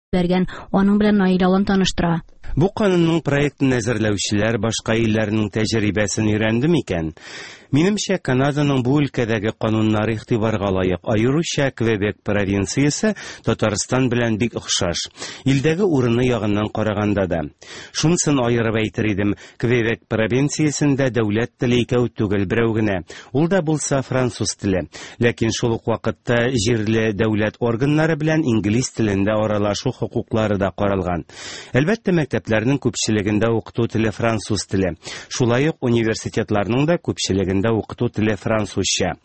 Җибәргән, аның белән Наил Алан таныштыра. Бу канунның проектын әзерләүчеләр башка илләрнең тәҗрибәсен өйрәнде микән? Минемчә, Канаданың бу өлкәдәге кануннары игътибарга лаек, аеруча Квебек провинциясе Татарстан белән бик охшаш. Илдәге урыны ягыннан караганда да. Шунысын аерып әйтер идем, Квебек провинциясендә дәүләт теле икәү түгел, берәү генә. Ул да булса француз теле. Ләкин шул ук вакытта җирле дәүләт органнары белән инглиз телендә аралашу хокуклары да каралган. Әлбәттә, мәктәпләрнең күпчелегендә укыту теле француз теле. Шулай ук университетларның да күпчелегендә укыту теле французча.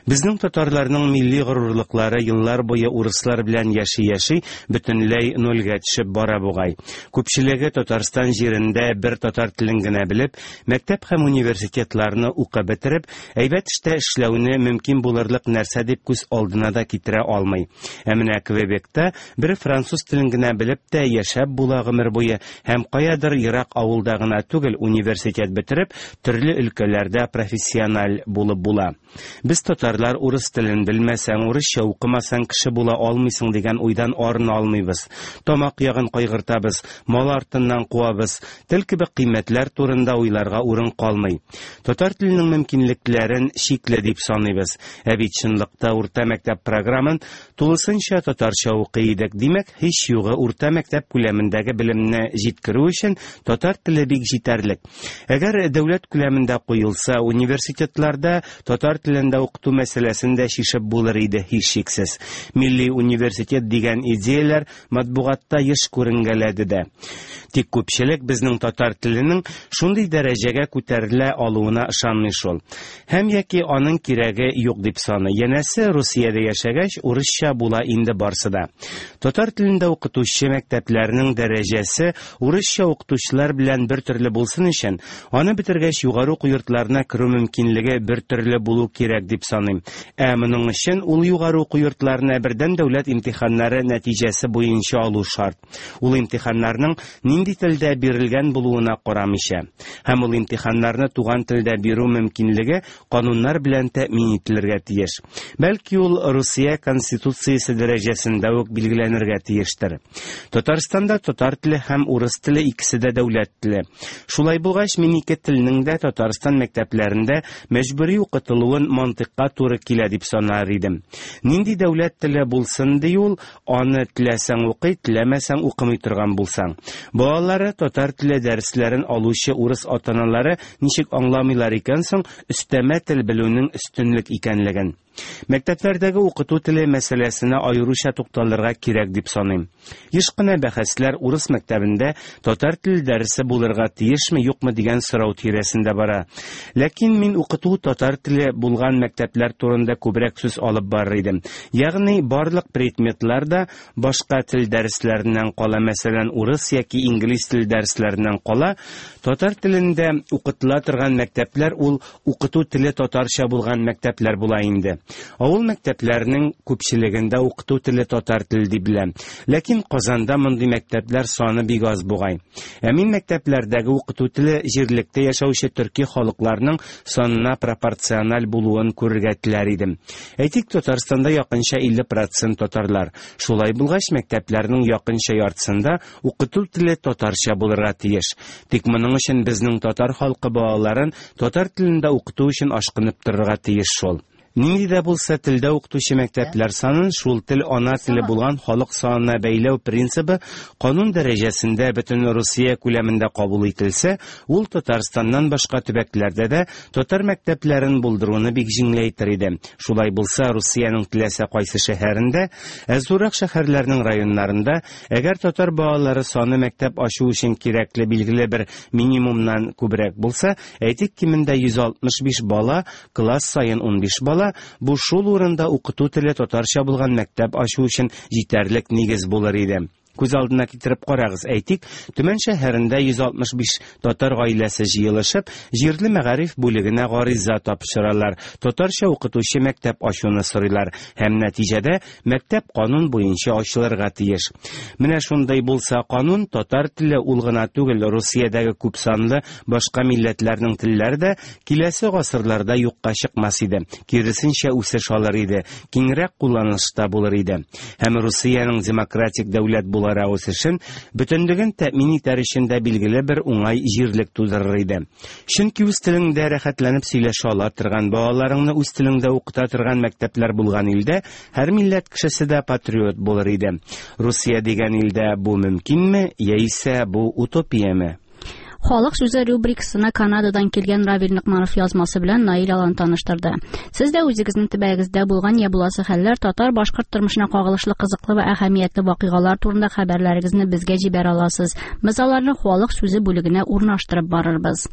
Безнең татарларның милли горурлыклары еллар буе урыслар белән яши-яши бөтенләй нольгә төшеп бара бугай. Күпчелеге Татарстан җирендә бер татар телен генә белеп, мәктәп һәм университетларны укып бетереп, әйбәт эштә эшләүне мөмкин булырлык нәрсә дип күз алдына да китерә алмый. Ә менә Квебекта бер француз телен генә белеп тә яшәп була гомер буе һәм каядыр ерак авылда гына түгел, университет бетереп, төрле өлкәләрдә профессиональ булып була. Без татарлар урыс телен белмәсәң, урысча укымасаң кеше була алмыйсың дигән уйдан арына алмыйбыз. Тамак ягын кайгыртабыз, мал артыннан куабыз, тел кебек кыйммәтләр турында уйларга урын калмый. Татар теленең мөмкинлекләрен чикле дип саныйбыз. Ә бит чынлыкта урта мәктәп програмын тулысынча татарча укый идек. Димәк, һич югы урта мәктәп күләмендәге белемне җиткерү өчен татар теле бик җитәрлек. Әгәр дәүләт күләмендә куелса, университетларда татар телендә укыту мәсьәләсен дә чишеп булыр иде, һичшиксез. Милли университет дигән идеяләр матбугатта еш күренгәләде дә. Тик күпчелек безнең татар теленең шундый дәрәҗәгә күтәрелә алуына ышанмый шул. Һәм яки аның кирәге юк дип саный. Янәсе, Русиядә яшәгәч, урысча була инде барсы да. Татар телендә укытучы мәктәпләрнең дәрәҗәсе урысча укытучылар белән бер төрле булсын өчен, аны бетергәч югары уку йортларына керү мөмкинлеге бер төрле булу кирәк дип саныйм. Ә моның өчен ул югары уку йортларына бердәм дәүләт имтиханнары нәтиҗәсе буенча алу шарт. Ул имтиханнарның нинди телдә бирелгән булуына карамыйча. Һәм ул имтиханнарны туган телдә бирү мөмкинлеге кануннар белән тәэмин ителергә тиеш. Бәлки ул Русия Конституциясе дәрәҗәсендә үк билгеләнергә тиештер. Татарстанда татар теле һәм урыс теле икесе дә дәүләт теле. Шулай булгач, мин ике телнең дә Татарстан мәктәпләрендә мәҗбүри укытылуын мантыйкка туры килә дип санар идем. Нинди дәүләт теле булсын ди ул, Аны теләсәң укый, теләмәсәң укымый торган булсаң. Балалары татар теле дәресләрен алучы урыс ата-аналары ничек аңламыйлар икән соң өстәмә тел белүнең өстенлек икәнлеген? Мәктәпләрдәге укыту теле мәсьәләсенә аеруча тукталырга кирәк дип саныйм. Еш кына бәхәсләр урыс мәктәбендә татар теле дәресе булырга тиешме, юкмы дигән сорау тирәсендә бара. Ләкин мин укыту татар теле булган мәктәпләр турында күбрәк сүз алып барыр идем. Ягъни барлык предметлар да башка тел дәресләреннән кала, мәсәлән, урыс яки инглиз теле дәресләреннән кала, татар телендә укытыла торган мәктәпләр ул укыту теле татарча булган мәктәпләр була инде. Авыл мәктәпләренең күпчелегендә укыту теле татар теле дип беләм. Ләкин Казанда мондый мәктәпләр саны бик аз бугай. Ә мин мәктәпләрдәге укыту теле җирлектә яшәүче төрки халыкларның санына пропорциональ булуын күрергә теләр идем. Әйтик, Татарстанда якынча 50 процент татарлар. Шулай булгач, мәктәпләрнең якынча яртысында укыту теле татарча булырга тиеш. Тик моның өчен безнең татар халкы балаларын татар телендә укыту өчен ашкынып торырга тиеш шул. Нинди дә булса телдә укытучы мәктәпләр санын шул тел ана теле булган халык санына бәйләү принцибы канун дәрәҗәсендә бөтен Русия күләмендә кабул ителсә, ул Татарстаннан башка төбәкләрдә дә татар мәктәпләрен булдыруны бик җиңеләйтер иде. Шулай булса, Русиянең теләсә кайсы шәһәрендә, ә зуррак шәһәрләрнең районнарында, әгәр татар балалары саны мәктәп ачу өчен кирәкле билгеле бер минимумнан күбрәк булса, әйтик, кимендә 165 бала, Класс саен 15 бала, бу шул урында укыту теле татарча булган мәктәп ачу өчен җитәрлек нигез булыр иде. Күз алдына китереп карагыз, әйтик, Төмән шәһәрендә 165 татар гаиләсе җыелышып, җирле мәгариф бүлегенә гариза тапшыралар, татарча укытучы мәктәп ачуны сорыйлар һәм нәтиҗәдә мәктәп канун буенча ачылырга тиеш. Менә шундый булса канун, татар теле ул гына түгел, Русиядәге күпсанлы башка милләтләрнең телләре дә киләсе гасырларда юкка чыкмас иде, киресенчә үсеш алыр иде, киңрәк кулланылышта булыр иде. Һәм Русиянең демократик дәүләт була буларак үсешен, бөтенлеген тәэмин итәр өчен дә билгеле бер уңай җирлек тудырыр иде. Чөнки үз телеңдә рәхәтләнеп сөйләшә ала торган, балаларыңны үз телеңдә укыта торган мәктәпләр булган илдә һәр милләт кешесе дә патриот булыр иде. Русия дигән илдә бу мөмкинме, яисә бу утопияме? Халык сүзе рубрикасына Канададан килгән Равил Ныкманов язмасы белән Наил Алан таныштырды. Сез дә үзегезнең төбәгегездә булган я буласы хәлләр, татар-башкорт тормышына кагылышлы кызыклы вә әһәмиятле вакыйгалар турында хәбәрләрегезне безгә җибәрә аласыз. Без аларны Халык сүзе бүлегенә урнаштырып барырбыз.